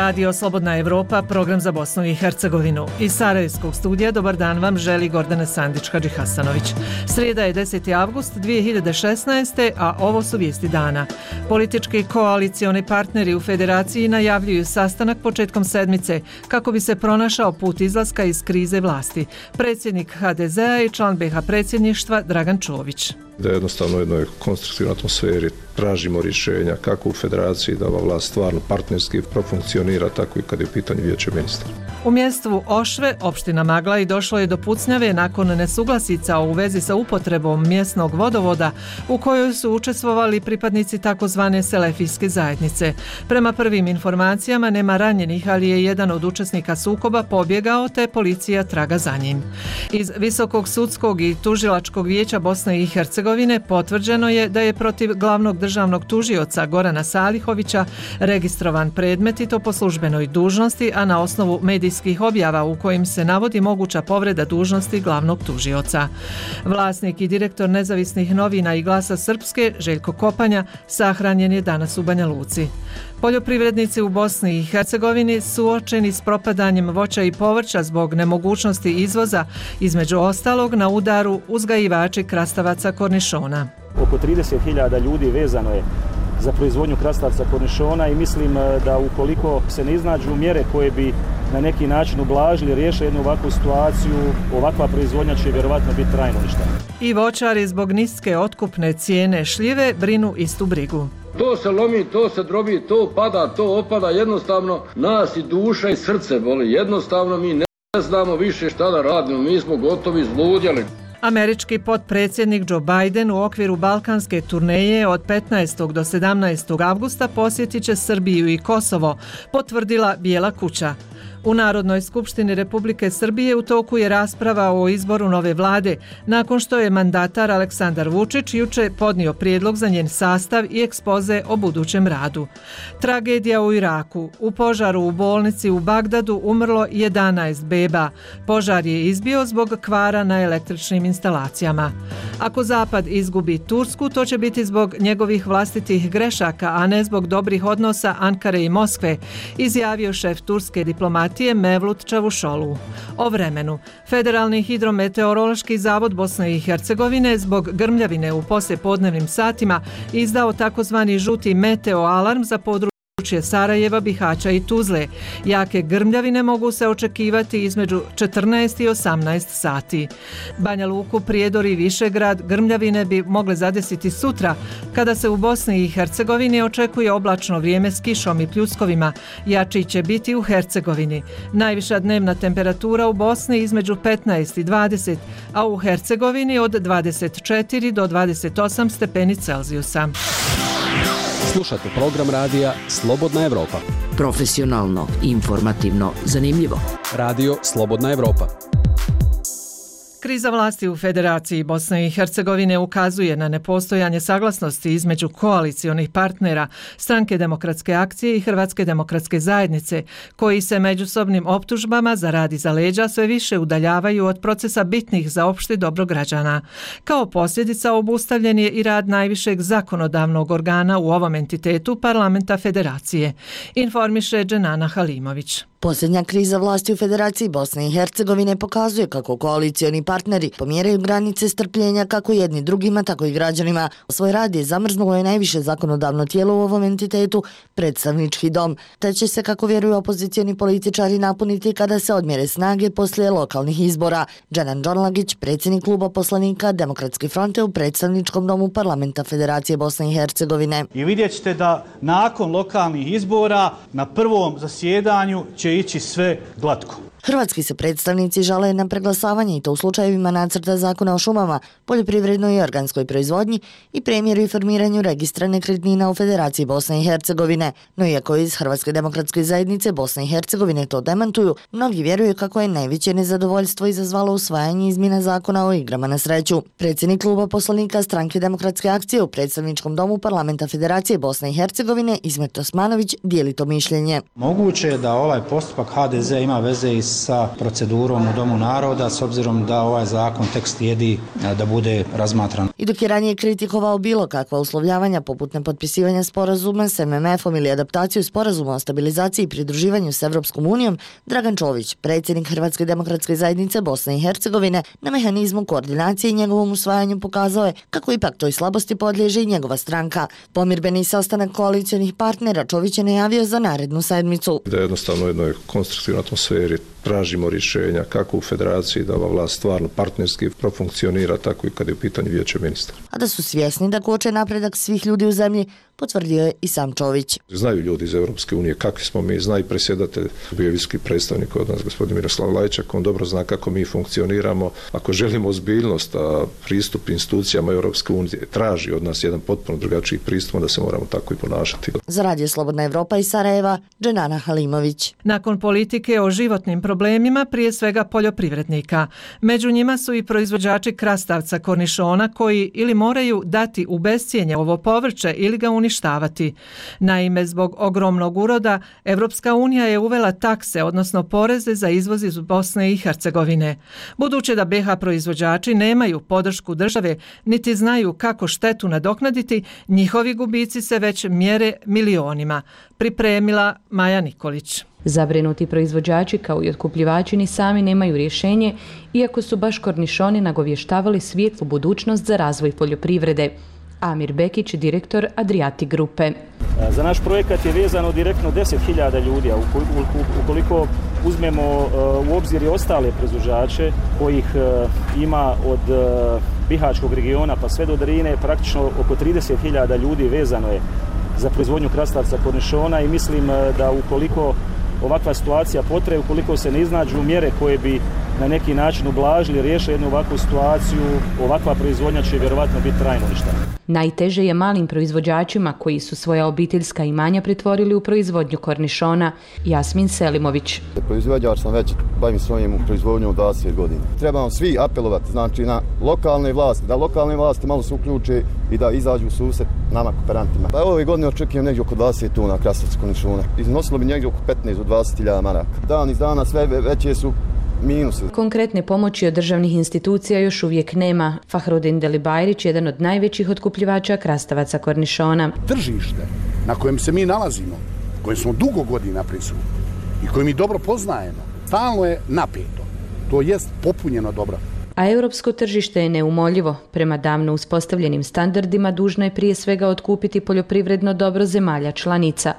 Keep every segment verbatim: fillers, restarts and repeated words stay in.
Radio Slobodna Evropa, program za Bosnu i Hercegovinu. Iz Sarajevskog studija dobar dan vam želi Gordana Sandić-Hadži Hasanović. Srijeda je deseti avgust dvije hiljade šesnaeste. a ovo su vijesti dana. Politički koalicioni partneri u federaciji najavljuju sastanak početkom sedmice kako bi se pronašao put izlaska iz krize vlasti. Predsjednik ha de zea i član be ha predsjedništva Dragan Čović. Da jednostavno u jednoj konstruktivnoj atmosferi tražimo rješenja kako u federaciji da ova vlast stvarno partnerski profunkcionira, tako i kad je u pitanju vijeće ministara. U mjestu Ošve, opština Maglaj, došlo je do pucnjave nakon nesuglasica u vezi sa upotrebom mjesnog vodovoda u kojoj su učestvovali pripadnici takozvane selefijske zajednice. Prema prvim informacijama nema ranjenih, ali je jedan od učesnika sukoba pobjegao te policija traga za njim. Iz Visokog sudskog i tužilačkog vijeća Bosne i Hercegovine potvrđeno je da je protiv glavnog državnog tužioca Gorana Salihovića registrovan predmet i to po službenoj dužnosti, a na osnovu medijskih objava u kojim se navodi moguća povreda dužnosti glavnog tužioca. Vlasnik i direktor nezavisnih novina i Glasa Srpske, Željko Kopanja, sahranjen je danas u Banja Luci. Poljoprivrednici u Bosni i Hercegovini suočeni s propadanjem voća i povrća zbog nemogućnosti izvoza, između ostalog na udaru uzgajivači krastavaca kornišona. Oko trideset hiljada ljudi vezano je za proizvodnju krastavca kornišona i mislim da ukoliko se ne iznađu mjere koje bi na neki način ublažili, riješili jednu ovakvu situaciju, ovakva proizvodnja će vjerovatno biti trajno uništena. I voćari zbog niske otkupne cijene šljive brinu istu brigu. To se lomi, to se drobi, to pada, to opada, jednostavno nas i duša i srce boli, jednostavno mi ne znamo više šta da radimo, mi smo gotovi zludjeli. Američki potpredsjednik Joe Biden u okviru balkanske turneje od petnaestog do sedamnaestog avgusta posjetit će Srbiju i Kosovo, potvrdila Bijela kuća. U Narodnoj skupštini Republike Srbije u toku je rasprava o izboru nove vlade, nakon što je mandatar Aleksandar Vučić juče podnio prijedlog za njen sastav i ekspoze o budućem radu. Tragedija u Iraku. U požaru u bolnici u Bagdadu umrlo jedanaest beba. Požar je izbio zbog kvara na električnim instalacijama. Ako Zapad izgubi Tursku, to će biti zbog njegovih vlastitih grešaka, a ne zbog dobrih odnosa Ankare i Moskve, izjavio šef turske diplomatije Mevlut Čavuşoğlu. O vremenu. Federalni hidrometeorološki zavod Bosne i Hercegovine zbog grmljavine u poslijepodnevnim satima izdao takozvani žuti meteo alarm za područje Sarajeva, Bihaća i Tuzle. Jake grmljavine mogu se očekivati između četrnaest i osamnaest sati. Banja Luku, Prijedor i Višegrad grmljavine bi mogle zadesiti sutra, kada se u Bosni i Hercegovini očekuje oblačno vrijeme s kišom i pljuskovima. Jači će biti u Hercegovini. Najviša dnevna temperatura u Bosni između petnaest i dvadeset, a u Hercegovini od dvadeset četiri do dvadeset osam stepeni Celzijusa. Slušate program radija Slobodna Evropa. Profesionalno, informativno, zanimljivo. Radio Slobodna Evropa. Kriza vlasti u Federaciji Bosne i Hercegovine ukazuje na nepostojanje saglasnosti između koalicionih partnera Stranke demokratske akcije i Hrvatske demokratske zajednice, koji se međusobnim optužbama za rad iza leđa sve više udaljavaju od procesa bitnih za opšte dobro građana. Kao posljedica obustavljen je i rad najvišeg zakonodavnog organa u ovom entitetu Parlamenta Federacije, informiše Dženana Halimović. Posljednja kriza vlasti u Federaciji Bosne i Hercegovine pokazuje kako koalicioni partneri pomjeraju granice strpljenja kako jedni drugima, tako i građanima. Svoj rad je zamrznulo je najviše zakonodavno tijelo u ovom entitetu, predstavnički dom, te će se, kako vjeruju opozicioni političari, napuniti kada se odmjere snage poslije lokalnih izbora. Dženan Džorlagić, predsjednik kluba poslanika Demokratske fronte u predstavničkom domu Parlamenta Federacije Bosne i Hercegovine. I vidjet ćete da nakon lokalnih izbora na prvom zasjedanju će ići sve glatko. Hrvatski se predstavnici žale na preglasavanje i to u slučajevima nacrta zakona o šumama, poljoprivrednoj i organskoj proizvodnji i premijeru i formiranju registra nekretnina u Federaciji Bosne i Hercegovine. No iako iz Hrvatske demokratske zajednice Bosne i Hercegovine to demantuju, mnogi vjeruju kako je najveće nezadovoljstvo izazvalo usvajanje izmjena zakona o igrama na sreću. Predsjednik kluba poslanika Stranke demokratske akcije u predstavničkom domu Parlamenta Federacije Bosne i Hercegovine Ismet Osmanović dijeli to mišljenje. Moguće je da ovaj postupak ha de ze ima veze i s sa procedurom u Domu naroda, s obzirom da ovaj zakon tek slijedi da bude razmatran. I dok je ranije kritikovao bilo kakva uslovljavanja poput nepotpisivanja sporazuma s M M F-om ili adaptaciju sporazuma o stabilizaciji i pridruživanju s Evropskom unijom, Dragan Čović, predsjednik Hrvatske demokratske zajednice Bosne i Hercegovine, na mehanizmu koordinacije i njegovom usvajanju pokazao je kako ipak toj slabosti podliježe i njegova stranka. Pomirbeni sastanak koalicionih partnera Čović je najavio za narednu sedmicu. Da jednostavno u jednoj konstruktivnoj atmosferi tražimo rješenja kako u federaciji da ova vlast stvarno partnerski profunkcionira, tako i kad je u pitanju vijeće ministara. A da su svjesni da koče napredak svih ljudi u zemlji, potvrdio je i sam Čović. Znaju ljudi iz Europske unije kakvi smo mi, zna i predsjedatelj, bio je visoki predstavnik od nas, gospodin Miroslav Lajčak, on dobro zna kako mi funkcioniramo. Ako želimo ozbiljnost, a pristup institucijama Europske unije traži od nas jedan potpuno drugačiji pristup, da se moramo tako i ponašati. Za Radio Slobodna Evropa iz Sarajeva, Dženana Halimović. Nakon politike o životnim problemima, prije svega poljoprivrednika. Među njima su i proizvođači krastavca kornišona koji ili moraju dati u bescjenje ovo povrće ili ga uništavati. Naime, zbog ogromnog uroda, Evropska unija je uvela takse, odnosno poreze za izvoz iz Bosne i Hercegovine. Budući da B iH proizvođači nemaju podršku države, niti znaju kako štetu nadoknaditi, njihovi gubici se već mjere milionima. Pripremila Maja Nikolić. Zabrinuti proizvođači kao i otkupljivači ni sami nemaju rješenje, iako su baš kornišoni nagovještavali svijetlu budućnost za razvoj poljoprivrede. Amir Bekić, direktor Adriati grupe. Za naš projekat je vezano direktno deset hiljada ljudi, a ukoliko uzmemo u obzir i ostale proizvođače kojih ima od bihaćkog regiona pa sve do Drine, praktično oko trideset hiljada ljudi vezano je za proizvodnju krastavca kornišona i mislim da ukoliko ovakva situacija potraje, ukoliko se ne iznađu mjere koje bi na neki način ublažili, riješili jednu ovakvu situaciju, ovakva proizvodnja će vjerovatno biti trajno uništena. Najteže je malim proizvođačima koji su svoja obiteljska imanja pretvorili u proizvodnju kornišona. Jasmin Selimović. Proizvođač sam već, bavim svojim proizvodnjom dvadeset godina. Trebamo svi apelovati, znači na lokalne vlasti, da lokalne vlasti malo se uključe i da izađu u susret nama kooperantima. Pa ove godine očekujem negdje oko dvadeset tona krastavca kornišona. Iznosilo bi negdje oko petnaest do dvadeset hiljada maraka. Dan iz dana sve veće su minuse. Konkretne pomoći od državnih institucija još uvijek nema. Fahrudin Delibajrić, jedan od najvećih otkupljivača krastavaca kornišona. Tržište na kojem se mi nalazimo, kojem smo dugo godina prisutni i koje mi dobro poznajemo, stalno je napeto. To jest popunjeno dobro. A europsko tržište je neumoljivo. Prema davno uspostavljenim standardima dužno je prije svega otkupiti poljoprivredno dobro zemalja članica.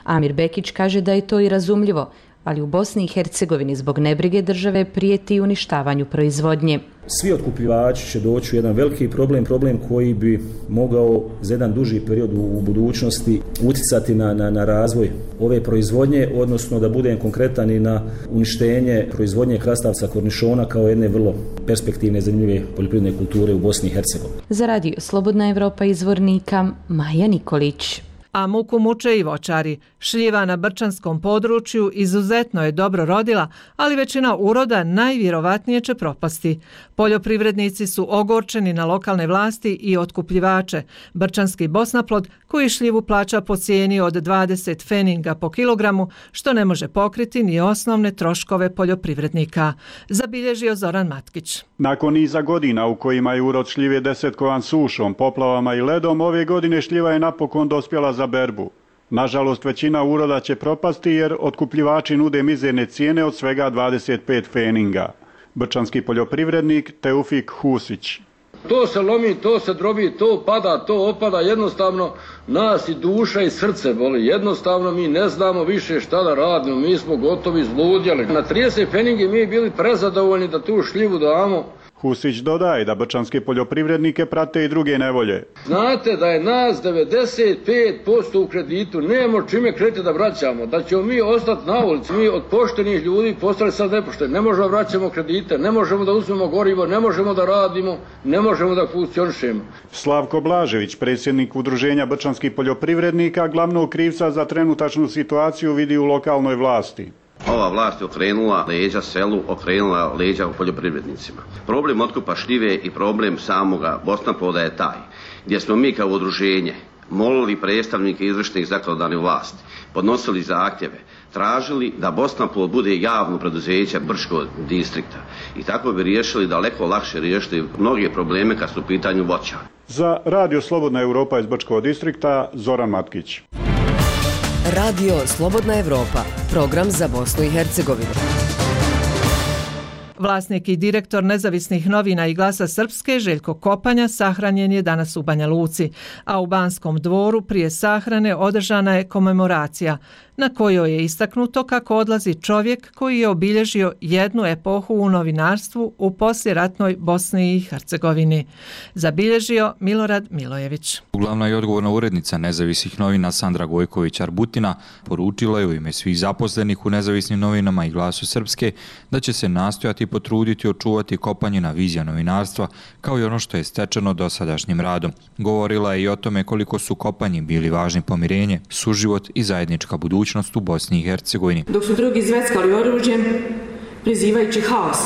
Amir Bekić kaže da je to i razumljivo, ali u Bosni i Hercegovini zbog nebrige države prijeti uništavanju proizvodnje. Svi otkupljivači će doći u jedan veliki problem, problem koji bi mogao za jedan duži period u budućnosti utjecati na, na, na razvoj ove proizvodnje, odnosno da budem konkretan i na uništenje proizvodnje krastavca kornišona kao jedne vrlo perspektivne, zanimljive poljoprivredne kulture u Bosni i Hercegovini. Za Radio Slobodna Evropa izvornika Maja Nikolić. A muku muče i voćari. Šljiva na brčanskom području izuzetno je dobro rodila, ali većina uroda najvjerovatnije će propasti. Poljoprivrednici su ogorčeni na lokalne vlasti i otkupljivače. Brčanski Bosnaplod koji šljivu plaća po cijeni od dvadeset feninga po kilogramu, što ne može pokriti ni osnovne troškove poljoprivrednika. Zabilježio Zoran Matkić. Nakon niza godina u kojima je urod šljive desetkovan sušom, poplavama i ledom, ove godine šljiva je napokon dospjela za berbu. Nažalost, većina uroda će propasti jer otkupljivači nude mizerne cijene od svega dvadeset pet feninga. Brčanski poljoprivrednik Teufik Husić. To se lomi, to se drobi, to pada, to opada, jednostavno nas i duša i srce boli. Jednostavno mi ne znamo više šta da radimo, mi smo gotovi zludjeli. Na trideset feningi mi bili prezadovoljni da tu šljivu damo. Husić dodaje da brčanske poljoprivrednike prate i druge nevolje. Znate da je nas devedeset pet posto u kreditu, nemamo čime kredite da vraćamo, da ćemo mi ostati na ulici, mi od poštenih ljudi postali sad nepošteni, ne možemo da vraćamo kredite, ne možemo da uzmemo gorivo, ne možemo da radimo, ne možemo da funkcionišemo. Slavko Blažević, predsjednik Udruženja brčanskih poljoprivrednika, glavnog krivca za trenutačnu situaciju vidi u lokalnoj vlasti. Ova vlast je okrenula leđa selu, okrenula leđa poljoprivrednicima. Problem otkupa šljive i problem samoga Bosnaploda je taj, gdje smo mi kao udruženje molili predstavnike izvršnih zakonodavnih vlasti, podnosili zahtjeve, tražili da Bosnaplod bude javno preduzeće Brčkog distrikta i tako bi riješili daleko lakše riješiti mnoge probleme kad su u pitanju voća. Za Radio Slobodna Evropa iz Brčkog distrikta Zoran Matkić. Radio Slobodna Evropa, program za Bosnu i Hercegovinu. Vlasnik i direktor nezavisnih novina i Glasa Srpske Željko Kopanja sahranjen je danas u Banja Luci, a u Banskom dvoru prije sahrane održana je komemoracija na kojoj je istaknuto kako odlazi čovjek koji je obilježio jednu epohu u novinarstvu u poslijeratnoj Bosni i Hercegovini. Zabilježio Milorad Milojević. Glavna i odgovorna urednica nezavisnih novina Sandra Gojković-Arbutina poručila je u ime svih zaposlenih u nezavisnim novinama i Glasu Srpske da će se nastojati potruditi očuvati Kopanjina vizija novinarstva kao i ono što je stečeno dosadašnjim radom. Govorila je i o tome koliko su Kopanji bili važni pomirenje, suživot i zajednička budućnost u Bosni i Hercegovini. Dok su drugi zveckali oružjem, prizivajući haos,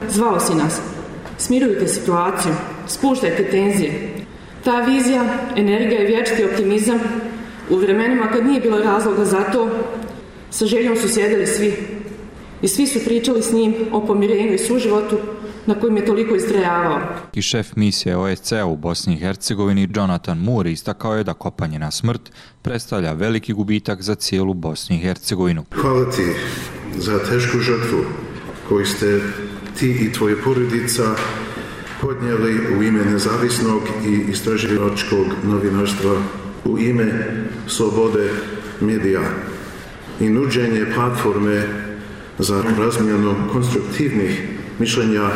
zvao si nas. Smirujte situaciju, spuštajte tenzije. Ta vizija, energija i vječiti optimizam u vremenima kad nije bilo razloga za to, sa željom su sjedili svi. I svi su pričali s njim o pomirenju i suživotu na kojem je toliko istrajavao. I šef misije O S C-a u Bosni i Hercegovini Jonathan Moore istakao je da Kopanjina smrt predstavlja veliki gubitak za cijelu Bosnu i Hercegovinu. Hvala ti za tešku žrtvu koju ste ti i tvoje porodica podnijeli u ime nezavisnog i istraživačkog novinarstva, u ime slobode medija i nuđenje platforme za razmjenu konstruktivnih mišljenja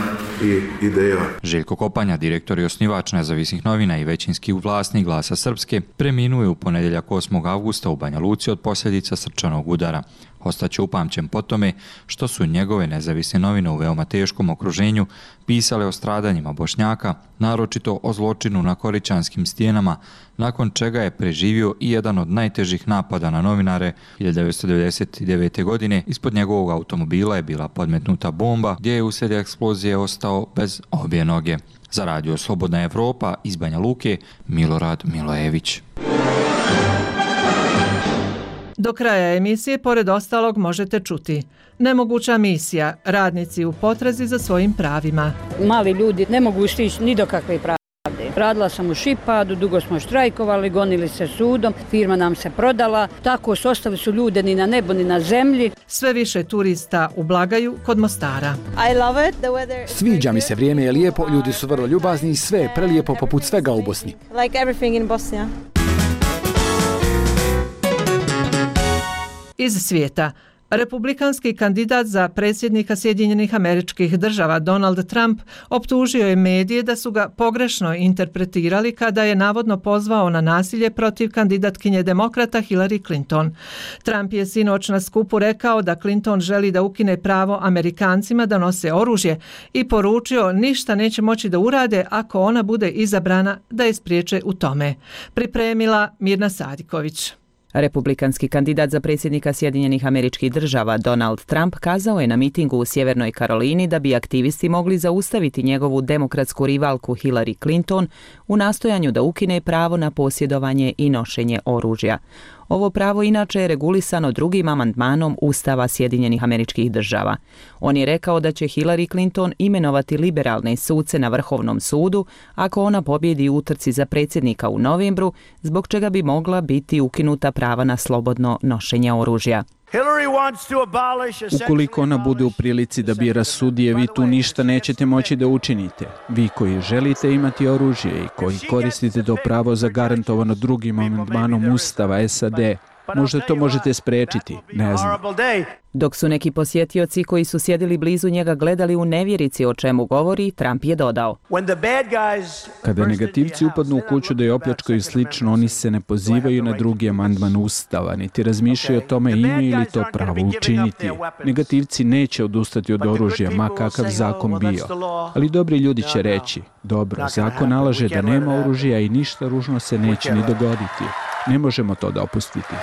i ideja. Željko Kopanja, direktor i osnivač nezavisnih novina i većinski vlasnik Glasa Srpske, preminuo je u ponedjeljak osmog avgusta u Banja Luci od posljedica srčanog udara. Ostaće upamćen po tome što su njegove nezavisne novine u veoma teškom okruženju pisale o stradanjima Bošnjaka, naročito o zločinu na Koričanskim stijenama, nakon čega je preživio i jedan od najtežih napada na novinare. hiljadu devetsto devedeset devete. godine ispod njegovog automobila je bila podmetnuta bomba gdje je uslijed eksplozije ostao bez obje noge. Za Radio Slobodna Evropa iz Banja Luke, Milorad Milojević. Do kraja emisije, pored ostalog, možete čuti: nemoguća misija, radnici u potrazi za svojim pravima. Mali ljudi ne mogu stići ni do kakve pravde. Radila sam u Šipadu, dugo smo štrajkovali, gonili se sudom, firma nam se prodala, tako su ostali su ljude ni na nebu ni na zemlji. Sve više turista u Blagaju kod Mostara. Sviđa mi se, vrijeme je lijepo, ljudi su vrlo ljubazni i sve je prelijepo poput svega u Bosni. Iz svijeta. Republikanski kandidat za predsjednika Sjedinjenih Američkih Država Donald Trump optužio je medije da su ga pogrešno interpretirali kada je navodno pozvao na nasilje protiv kandidatkinje demokrata Hillary Clinton. Trump je sinoć na skupu rekao da Clinton želi da ukine pravo Amerikancima da nose oružje i poručio ništa neće moći da urade ako ona bude izabrana da je spriječe u tome. Pripremila Mirna Sadiković. Republikanski kandidat za predsjednika Sjedinjenih Američkih Država Donald Trump kazao je na mitingu u Sjevernoj Karolini da bi aktivisti mogli zaustaviti njegovu demokratsku rivalku Hillary Clinton u nastojanju da ukine pravo na posjedovanje i nošenje oružja. Ovo pravo inače je regulisano drugim amandmanom Ustava Sjedinjenih Američkih Država. On je rekao da će Hillary Clinton imenovati liberalne suce na Vrhovnom sudu ako ona pobjedi u utrci za predsjednika u novembru, zbog čega bi mogla biti ukinuta prava na slobodno nošenje oružja. Ukoliko ona bude u prilici da bira sudije, vi tu ništa nećete moći da učinite. Vi koji želite imati oružje i koji koristite to pravo zagarantovano drugim amandmanom Ustava S A D, možda to možete spriječiti, ne znam. Dok su neki posjetioci koji su sjedili blizu njega gledali u nevjerici o čemu govori, Trump je dodao: Kada negativci upadnu u kuću da je opljačkaju i slično, oni se ne pozivaju na drugi amandman Ustava, niti razmišljaju o tome imaju li to pravo učiniti. Negativci neće odustati od oružja, ma kakav zakon bio. Ali dobri ljudi će reći: dobro, zakon nalaže da nema oružja i ništa ružno se neće ni dogoditi. Ne možemo to dopustiti.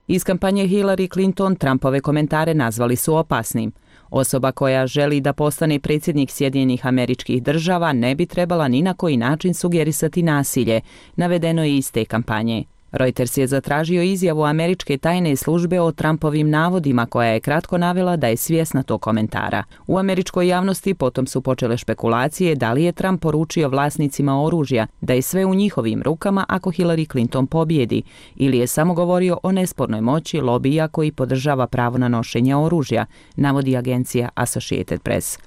Iz kampanje Hillary Clinton Trumpove komentare nazvali su opasnim. Osoba koja želi da postane predsjednik Sjedinjenih Američkih Država ne bi trebala ni na koji način sugerisati nasilje, navedeno je iz te kampanje. Reuters je zatražio izjavu američke tajne službe o Trumpovim navodima, koja je kratko navela da je svjesna tog komentara. U američkoj javnosti potom su počele špekulacije da li je Trump poručio vlasnicima oružja da je sve u njihovim rukama ako Hillary Clinton pobjedi, ili je samo govorio o nespornoj moći lobija koji podržava pravo na nošenje oružja, navodi agencija Associated Press.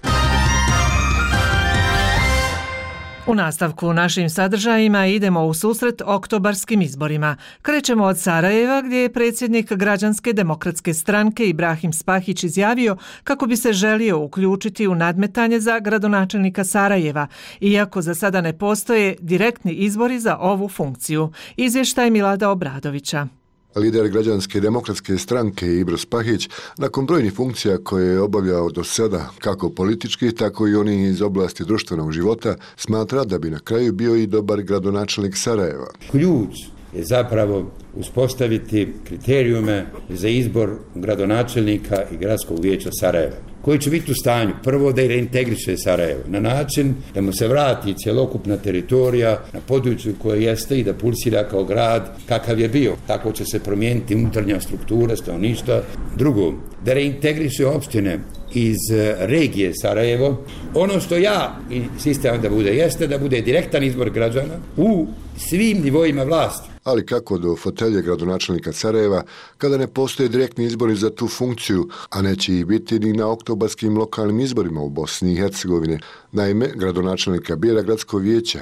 U nastavku našim sadržajima idemo u susret oktobarskim izborima. Krećemo od Sarajeva, gdje je predsjednik Građanske demokratske stranke Ibrahim Spahić izjavio kako bi se želio uključiti u nadmetanje za gradonačelnika Sarajeva, iako za sada ne postoje direktni izbori za ovu funkciju. Izvještaj Milada Obradovića. Lider Građanske demokratske stranke Ibro Spahić, nakon brojnih funkcija koje je obavljao do sada, kako politički, tako i oni iz oblasti društvenog života, smatra da bi na kraju bio i dobar gradonačelnik Sarajeva. Ključ je zapravo uspostaviti kriterijume za izbor gradonačelnika i gradskog vijeća Sarajeva, koji će biti u stanju prvo da i reintegriše Sarajevo na način da mu se vrati cjelokupna teritorija na području koje jeste i da pulsira kao grad kakav je bio. Tako će se promijeniti unutarnja struktura stanovništva. Drugo, da reintegriše opštine iz regije Sarajevo. Ono što ja insistiram da bude jeste da bude direktan izbor građana u svim nivoima vlasti. Ali kako do fotelje gradonačelnika Sarajeva kada ne postoje direktni izbori za tu funkciju, a neće ih biti ni na oktobarskim lokalnim izborima u Bosni i Hercegovine. Naime, gradonačelnika bira gradsko vijeće.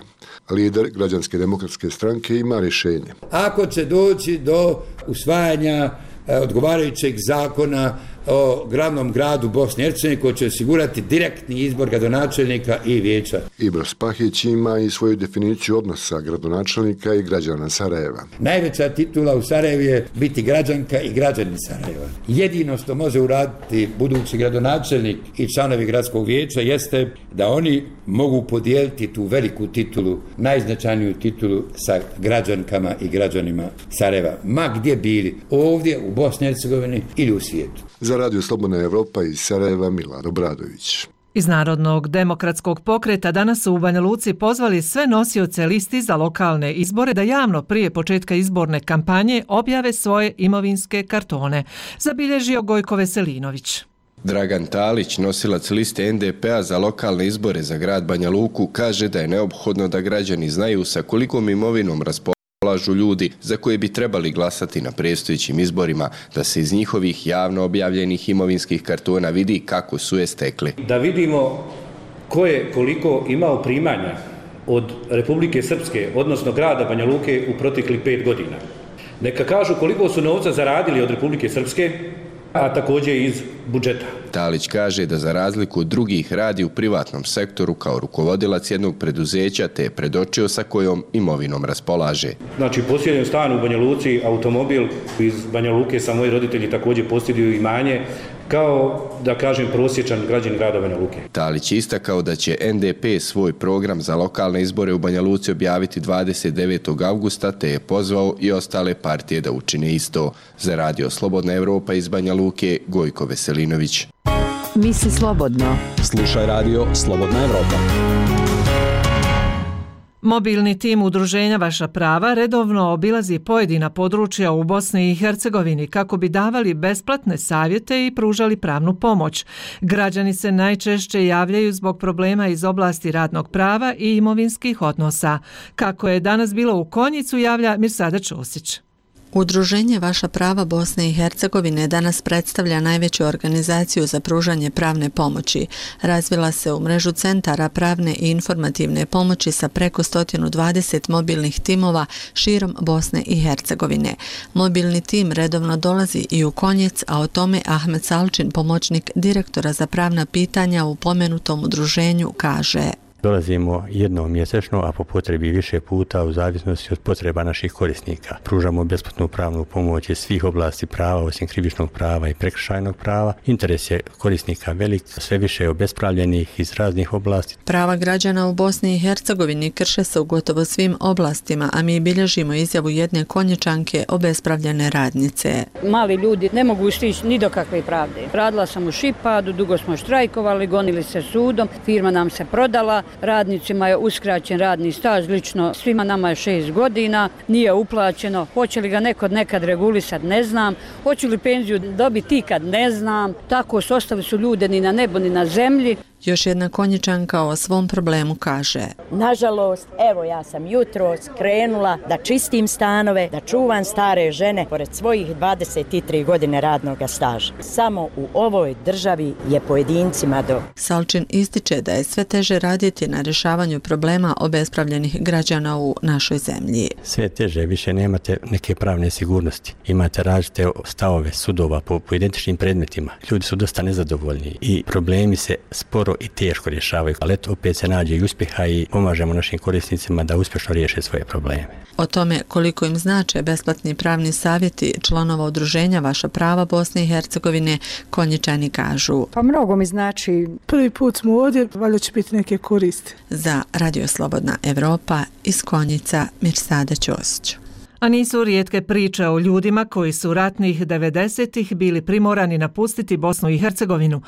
Lider Građanske demokratske stranke ima rješenje. Ako će doći do usvajanja odgovarajućeg zakona o glavnom gradu Bosne i Hercegovine koji će osigurati direktni izbor gradonačelnika i vijeća. Ibro Spahić ima i svoju definiciju odnosa gradonačelnika i građana Sarajeva. Najveća titula u Sarajevu je biti građanka i građanin Sarajeva. Jedino što može uraditi budući gradonačelnik i članovi gradskog vijeća jeste da oni mogu podijeliti tu veliku titulu, najznačajniju titulu sa građankama i građanima Sarajeva. Ma gdje bili, ovdje u Bosni i Hercegovini ili u svijetu. Za Radio Slobodna Evropa iz Sarajeva Milad Obradović. Iz Narodnog demokratskog pokreta danas su u Banja Luci pozvali sve nosioce listi za lokalne izbore da javno prije početka izborne kampanje objave svoje imovinske kartone, zabilježio Gojko Veselinović. Dragan Talić, nosilac liste en de pe a za lokalne izbore za grad Banja Luku, kaže da je neophodno da građani znaju sa kolikom imovinom raspolažu ljudi za koje bi trebali glasati na predstojećim izborima, da se iz njihovih javno objavljenih imovinskih kartona vidi kako su je stekli. Da vidimo ko je koliko imao primanja od Republike Srpske, odnosno grada Banja Luke u proteklih pet godina. Neka kažu koliko su novca zaradili od Republike Srpske, a također iz budžeta. Talić kaže da za razliku od drugih radi u privatnom sektoru kao rukovodilac jednog preduzeća te je predočio sa kojom imovinom raspolaže. Znači, posjedujem stan u Banja Luci, automobil iz Banja Luke, sa moji roditelji također posjeduju imanje, kao da kažem prosječan građanin grada Banja Luke. Talić istakao da će en de pe svoj program za lokalne izbore u Banja Luci objaviti dvadeset devetog avgusta te je pozvao i ostale partije da učine isto. Za Radio Slobodna Evropa iz Banja Luke, Gojko Veselinović. Misli slobodno. Slušaj Radio Slobodna Evropa. Mobilni tim udruženja Vaša prava redovno obilazi pojedina područja u Bosni i Hercegovini kako bi davali besplatne savjete i pružali pravnu pomoć. Građani se najčešće javljaju zbog problema iz oblasti radnog prava i imovinskih odnosa. Kako je danas bilo u Konjicu, javlja Mirsada Čosić. Udruženje Vaša prava Bosne i Hercegovine danas predstavlja najveću organizaciju za pružanje pravne pomoći. Razvila se u mrežu centara pravne i informativne pomoći sa preko sto dvadeset mobilnih timova širom Bosne i Hercegovine. Mobilni tim redovno dolazi i u Konjic, a o tome Ahmed Salčin, pomoćnik direktora za pravna pitanja u pomenutom udruženju, kaže: Dolazimo jednom mjesečno, a po potrebi više puta u zavisnosti od potreba naših korisnika. Pružamo besplatnu pravnu pomoć iz svih oblasti prava, osim krivičnog prava i prekršajnog prava. Interes je korisnika velik, sve više je obespravljenih iz raznih oblasti. Prava građana u Bosni i Hercegovini krše se u gotovo svim oblastima, a mi bilježimo izjavu jedne Konjičanke, obespravljene radnice. Mali ljudi ne mogu stići ni do kakve pravde. Radila sam u Šipadu, dugo smo štrajkovali, gonili se sudom, firma nam se prodala. radnicima je uskraćen radni staž, lično svima nama je šest godina, nije uplaćeno, hoće li ga neko nekad regulisati, ne znam, hoće li penziju dobiti ikad, ne znam, tako su ostali su ljude ni na nebu ni na zemlji. Još jedna Konjičanka o svom problemu kaže: Nažalost, evo ja sam jutros krenula da čistim stanove, da čuvam stare žene pored svojih dvadeset tri godine radnog staža. Samo u ovoj državi je pojedincima do. Salčin ističe da je sve teže raditi na rješavanju problema obespravljenih građana u našoj zemlji. Sve teže, više nemate neke pravne sigurnosti. Imate različite stavove sudova po, po identičnim predmetima. Ljudi su dosta nezadovoljni i problemi se sporo i teško rješavaju, ali eto opet se nađe i uspjeha i pomažemo našim korisnicima da uspješno riješe svoje probleme. O tome koliko im znače besplatni pravni savjeti članova udruženja Vaša prava Bosne i Hercegovine, Konjičani kažu: Pa mnogo mi znači, prvi put smo ovdje, valjda će biti neke koristi. Za Radio Slobodna Evropa iz Konjica, Mirsada Ćosić. A nisu rijetke priče o ljudima koji su ratnih devedesetih bili primorani napustiti Bosnu i Hercegovinu,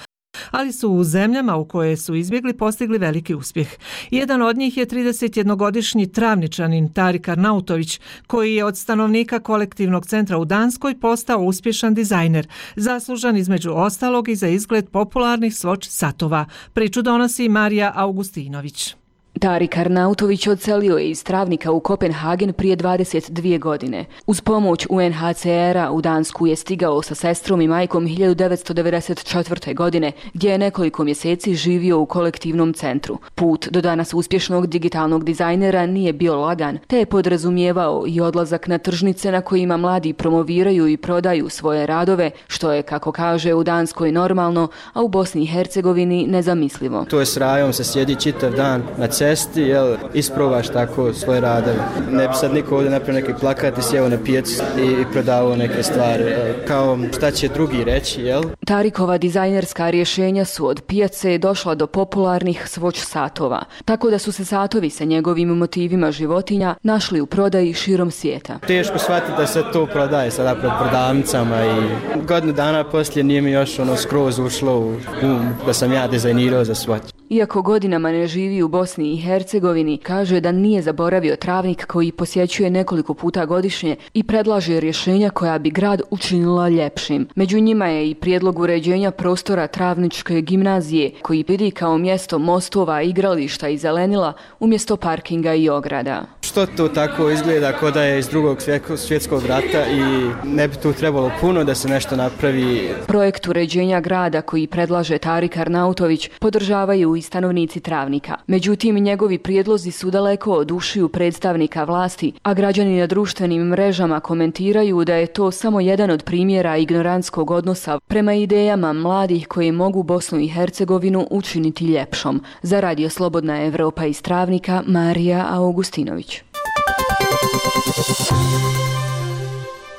ali su u zemljama u koje su izbjegli postigli veliki uspjeh. Jedan od njih je tridesetjednogodišnji Travničanin Tarik Arnautović, koji je od stanovnika kolektivnog centra u Danskoj postao uspješan dizajner, zaslužan između ostalog i za izgled popularnih Swatch satova. Priču donosi Marija Augustinović. Tarik Arnautović odselio je iz Travnika u Kopenhagen prije dvadeset dvije godine. Uz pomoć U N H C R-a u Dansku je stigao sa sestrom i majkom hiljadu devetsto devedeset četvrte. godine, gdje je nekoliko mjeseci živio u kolektivnom centru. Put do danas uspješnog digitalnog dizajnera nije bio lagan, te je podrazumijevao i odlazak na tržnice na kojima mladi promoviraju i prodaju svoje radove, što je, kako kaže, u Danskoj normalno, a u Bosni i Hercegovini nezamislivo. To je s rajom, se sjedi čitav dan na cesti, jel, isprobaš tako svoje radove. Ne bi sad niko ovdje napravio neki plakat i sjeo na pijacu i prodavao neke stvari. Kao šta će drugi reći, jel? Tarikova dizajnerska rješenja su od pijace došla do popularnih Swatch satova, tako da su se satovi sa njegovim motivima životinja našli u prodaji širom svijeta. Teško shvatiti da se to prodaje sada pred prodavnicama i godinu dana poslije nije mi još ono skroz ušlo u um da sam ja dizajnirao za Swatch. Iako godinama ne živi u Bosni i Hercegovini, kaže da nije zaboravio Travnik koji posjećuje nekoliko puta godišnje i predlaže rješenja koja bi grad učinila ljepšim. Među njima je i prijedlog uređenja prostora Travničke gimnazije, koji vidi kao mjesto mostova, igrališta i zelenila umjesto parkinga i ograda. Što to tako izgleda kao da je iz drugog svjetskog rata i ne bi tu trebalo puno da se nešto napravi. Projekt uređenja grada koji predlaže Tarik Arnautović podržavaju i stanovnici Travnika. Međutim, njegovi prijedlozi su daleko od ušiju predstavnika vlasti, a građani na društvenim mrežama komentiraju da je to samo jedan od primjera ignorantskog odnosa prema idejama mladih koji mogu Bosnu i Hercegovinu učiniti ljepšom. Za Radio Slobodna Evropa iz Travnika, Marija Augustinović.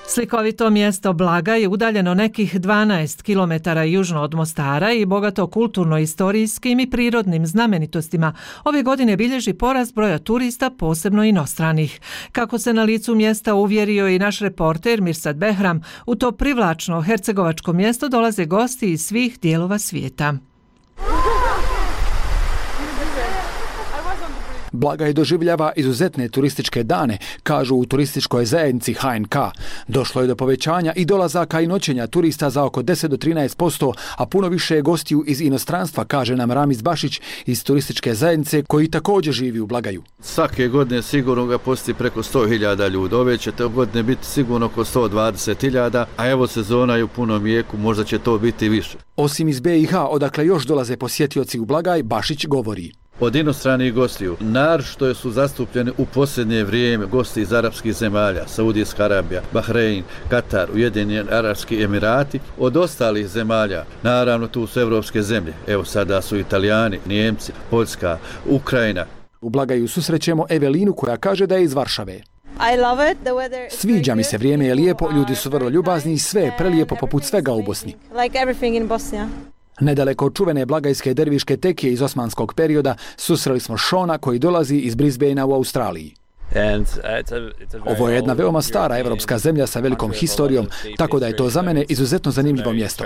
Slikovito mjesto Blaga je udaljeno nekih dvanaest kilometara južno od Mostara i bogato kulturno-istorijskim i prirodnim znamenitostima. Ove godine bilježi porast broja turista, posebno inostranih. Kako se na licu mjesta uvjerio i naš reporter Mirsad Behram, u to privlačno hercegovačko mjesto dolaze gosti iz svih dijelova svijeta. Blagaj doživljava izuzetne turističke dane, kažu u turističkoj zajednici H N K. Došlo je do povećanja i dolazaka i noćenja turista za oko deset do trinaest posto, a puno više je gostiju iz inostranstva, kaže nam Ramiz Bašić iz turističke zajednice koji također živi u Blagaju. Svake godine sigurno ga posti preko sto hiljada ljudi. Ove će te godine biti sigurno oko sto dvadeset hiljada, a evo sezona je u punom jeku, možda će to biti više. Osim iz B i H, odakle još dolaze posjetioci u Blagaj, Bašić govori. Od inostranih gostiju, naročito su zastupljeni u posljednje vrijeme gosti iz arapskih zemalja, Saudijska Arabija, Bahrein, Katar, Ujedinjeni Arapski Emirati. Od ostalih zemalja, naravno tu su evropske zemlje, evo sada su Italijani, Nijemci, Poljska, Ukrajina. U Blagaju susrećemo Evelinu koja kaže da je iz Varšave. Sviđa mi se, vrijeme je lijepo, ljudi su vrlo ljubazni i sve je prelijepo poput svega u Bosni. Nedaleko od čuvene blagajske derviške tekije iz osmanskog perioda susreli smo Šona koji dolazi iz Brisbanea u Australiji. Ovo je jedna veoma stara evropska zemlja sa velikom historijom, tako da je to za mene izuzetno zanimljivo mjesto.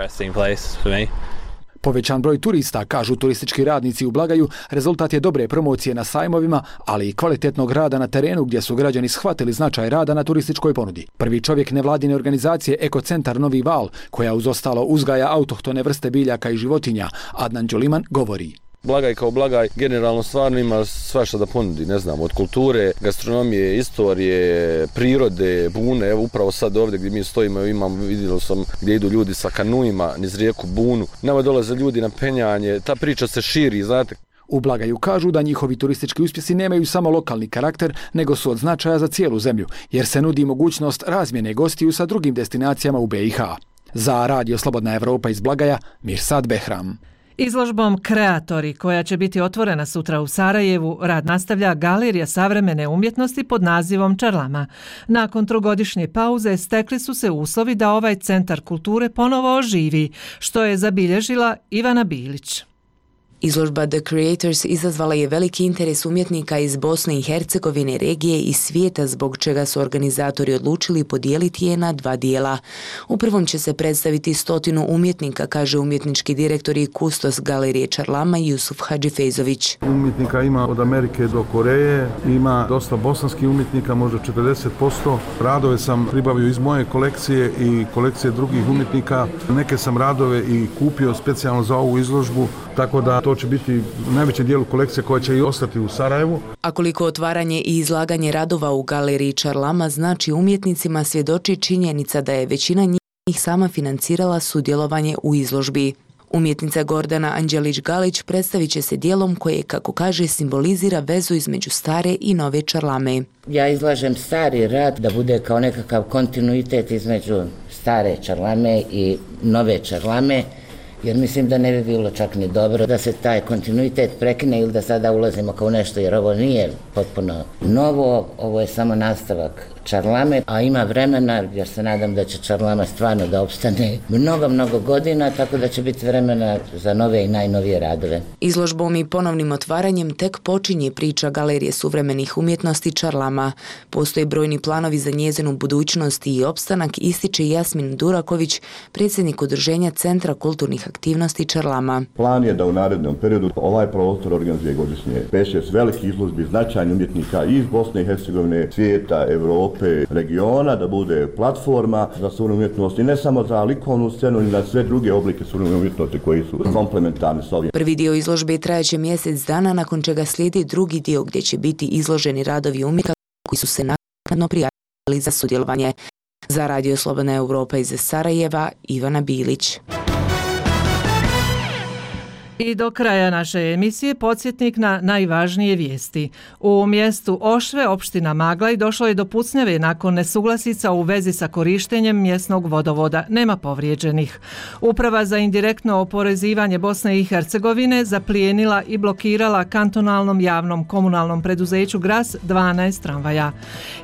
Povećan broj turista, kažu turistički radnici u Blagaju, rezultat je dobre promocije na sajmovima, ali i kvalitetnog rada na terenu gdje su građani shvatili značaj rada na turističkoj ponudi. Prvi čovjek nevladine organizacije Ekocentar Novi Val, koja uz ostalo uzgaja autohtone vrste biljaka i životinja, Adnan Đoliman govori. Blagaj kao Blagaj generalno stvarno ima svašta da ponudi, ne znam, od kulture, gastronomije, istorije, prirode, bune. Evo upravo sad ovdje gdje mi stojimo, imam, vidio sam gdje idu ljudi sa kanuima niz rijeku Bunu. Nama dolaze ljudi na penjanje, ta priča se širi, znate. U Blagaju kažu da njihovi turistički uspjesi nemaju samo lokalni karakter, nego su od značaja za cijelu zemlju, jer se nudi mogućnost razmjene gostiju sa drugim destinacijama u be i ha. Za Radio Slobodna Evropa iz Blagaja, Mirsad Behram. Izložbom Kreatori, koja će biti otvorena sutra u Sarajevu, rad nastavlja Galerija savremene umjetnosti pod nazivom Čarlama. Nakon trogodišnje pauze stekli su se uslovi da ovaj centar kulture ponovo oživi, što je zabilježila Ivana Bilić. Izložba The Creators izazvala je veliki interes umjetnika iz Bosne i Hercegovine, regije i svijeta, zbog čega su organizatori odlučili podijeliti je na dva dijela. U prvom će se predstaviti stotinu umjetnika, kaže umjetnički direktor i kustos Galerije Čarlama Jusuf Hadžifejzović. Umjetnika ima od Amerike do Koreje, ima dosta bosanskih umjetnika, možda četrdeset posto. Radove sam pribavio iz moje kolekcije i kolekcije drugih umjetnika. Neke sam radove i kupio specijalno za ovu izložbu, tako da to će biti u najvećem dijelu kolekcije koja će i ostati u Sarajevu. A koliko otvaranje i izlaganje radova u Galeriji Čarlama znači umjetnicima, svjedoči činjenica da je većina njih sama financirala sudjelovanje u izložbi. Umjetnica Gordana Anđelić-Galić predstavit će se dijelom koje, kako kaže, simbolizira vezu između stare i nove Čarlame. Ja izlažem stari rad da bude kao nekakav kontinuitet između stare Čarlame i nove Čarlame, jer mislim da ne bi bilo čak ni dobro da se taj kontinuitet prekine ili da sada ulazimo kao nešto, jer ovo nije potpuno novo, ovo je samo nastavak Čarlame, a ima vremena, jer se nadam da će Čarlama stvarno da opstane mnogo, mnogo godina, tako da će biti vremena za nove i najnovije radove. Izložbom i ponovnim otvaranjem tek počinje priča Galerije suvremenih umjetnosti Čarlama. Postoje brojni planovi za njezinu budućnost i opstanak, ističe Jasmin Duraković, predsjednik udruženja Centra kulturnih aktivnosti Čarlama. Plan je da u narednom periodu ovaj prostor organizuje godišnje pet šest velikih izložbi značajnih umjetnika iz Bosne i Hercegovine, svijeta, Evrope, regiona, da bude platforma za suvremenu umjetnost i ne samo za likovnu scenu, i na sve druge oblike suvremene umjetnosti koji su komplementarni s ovim. Prvi dio izložbe trajeće mjesec dana, nakon čega slijedi drugi dio gdje će biti izloženi radovi umjetnika koji su se naknadno prijavili za sudjelovanje. Za Radio Slobodna Evropa iz Sarajeva, Ivana Bilić. I do kraja naše emisije podsjetnik na najvažnije vijesti. U mjestu Ošve, opština Maglaj, došlo je do pucnjave nakon nesuglasica u vezi sa korištenjem mjesnog vodovoda. Nema povrijeđenih. Uprava za indirektno oporezivanje Bosne i Hercegovine zaplijenila i blokirala kantonalnom javnom komunalnom preduzeću Gras dvanaest tramvaja.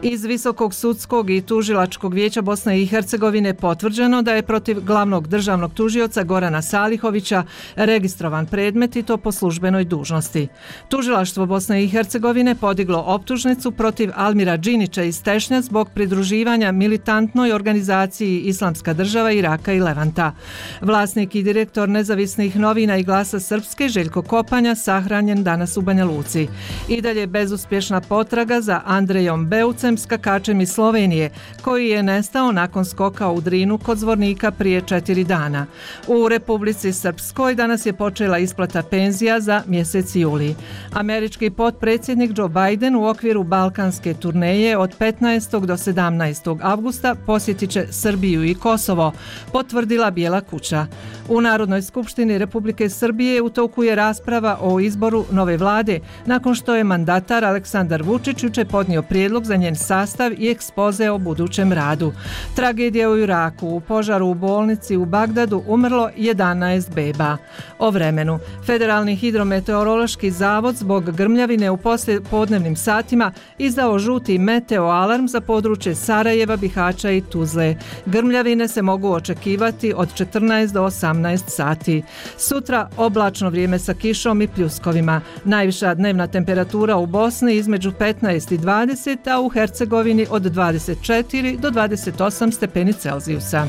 Iz Visokog sudskog i tužilačkog vijeća Bosne i Hercegovine potvrđeno da je protiv glavnog državnog tužioca Gorana Salihovića registrovan predmet i to po službenoj dužnosti. Tužilaštvo Bosne i Hercegovine podiglo optužnicu protiv Almira Džinića iz Tešnja zbog pridruživanja militantnoj organizaciji Islamska država Iraka i Levanta. Vlasnik i direktor nezavisnih novina i Glasa Srpske Željko Kopanja sahranjen danas u Banja Luci. I dalje bezuspješna potraga za Andrejom Beucem, skakačem iz Slovenije, koji je nestao nakon skoka u Drinu kod Zvornika prije četiri dana. U Republici Srpskoj danas je počela isplata penzija za mjesec juli. Američki potpredsjednik Joe Biden u okviru balkanske turneje od petnaestog do sedamnaestog avgusta posjetit će Srbiju i Kosovo, potvrdila Bijela kuća. U Narodnoj skupštini Republike Srbije u toku je rasprava o izboru nove vlade, nakon što je mandatar Aleksandar Vučić jučer podnio prijedlog za njen sastav i ekspoze o budućem radu. Tragedija u Iraku, u požaru u bolnici u Bagdadu umrlo jedanaest beba. O vremenu. Federalni hidrometeorološki zavod zbog grmljavine u poslijepodnevnim satima izdao žuti meteo alarm za područje Sarajeva, Bihaća i Tuzle. Grmljavine se mogu očekivati od četrnaest do osamnaest sati. Sutra oblačno vrijeme sa kišom i pljuskovima. Najviša dnevna temperatura u Bosni između petnaest i dvadeset, a u Hercegovini od dvadeset četiri do dvadeset osam stepeni Celzijusa.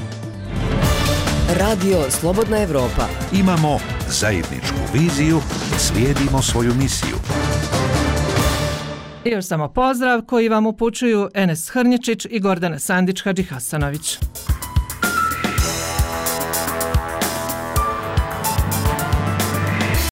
Radio Slobodna Evropa. Imamo zajedničku viziju, slijedimo svoju misiju. I još samo pozdrav koji vam upućuju Enes Hrnječić i Gordana Sandić Hadžihasanović.